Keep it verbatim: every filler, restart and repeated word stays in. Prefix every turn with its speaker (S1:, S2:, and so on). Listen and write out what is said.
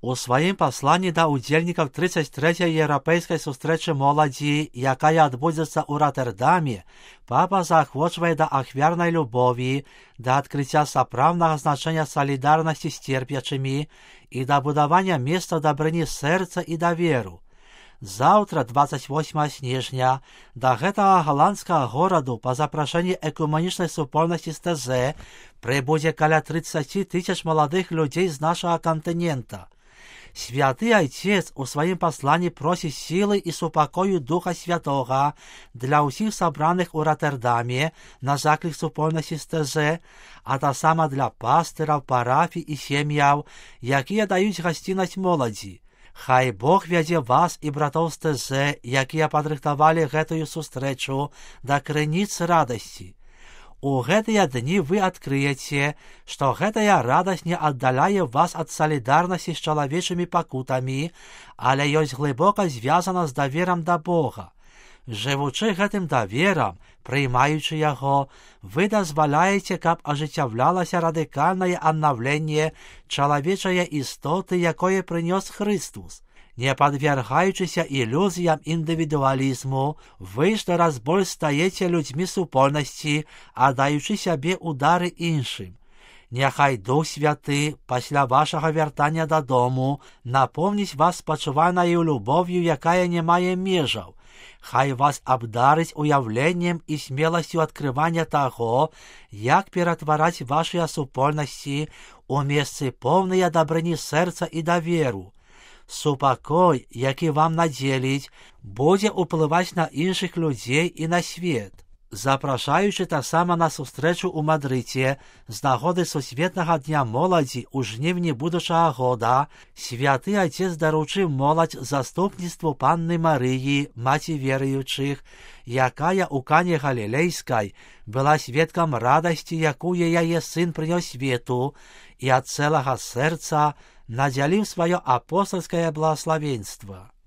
S1: У сваім пасланні да ўдзельнікаў тридцать трэцяй еўрапейскай сустрэчы моладзі, якая адбудзецца ў Роттердаме, папа заахвочвае да ахвярнай любові, да адкрыцця сапраўднага значэння салідарнасці з церпячымі і да будавання месцаў дабрыні сэрца і даверу. Заўтра, двадцать восьмага снежня, да гэтага галандскага гораду па запрашэнні экумэнічнай супольнасці з тэ зэ прыбудзе каля тридцать тысяч маладых людзей з нашага кантынента. Святы Айцец у сваім пасланні просіць сілы і супакою Духа Святога для ўсіх сабраных у Роттердаме на заклік супольнасці з тэ зэ, а таксама для пастыраў, парафій і сем'яў, якія даюць гасціннасць моладзі. Хай Бог вядзе вас і братоў з тэ зэ, якія падрыхтавалі гэтую сустрэчу, да крыніц радасці. У гэтыя дні вы адкрыеце, што гэтая радасць не аддаляе вас ад салідарнасці з чалавечымі пакутамі, але ёсць глыбока звязана з даверам да Бога. Жывучы гэтым даверам, прыймаючы яго, вы дазваляеце, каб ажыццяўлялася радыкальнае аднаўленне чалавечае істоты, якое прынёс Хрыстус. Не падвяргаючыся ілюзіям індывідуалізму, вы штораз больш стаеце людзьмі супольнасці, аддаючы сябе ў дары іншым. Няхай Дух Святы пасля вашага вяртання дадому напомніць вас спачуванаю любов'ю, якая не мае межаў. Хай вас абдарыць уяўленнем і смеласцю адкрывання таго, як ператвараць вашыя супольнасці у месцы поўныя дабрыні сэрца і даверу. Супакой, які вам надзеліць, будзе ўплываць на іншых людзей і на свет. Запрашаючы таксама на сустрэчу ў Мадрыдзе з нагоды Сусветнага дня моладзі ў жніўні будучага года, святы Айцец даручыў моладзь заступніцтву Панны Марыі, маці веруючых, якая ў Кане Галілейскай была сведкам радасці, якую яе сын прынёс свету, і ад цэлага сэрца надзяліў сваё апостальскае благаславенства.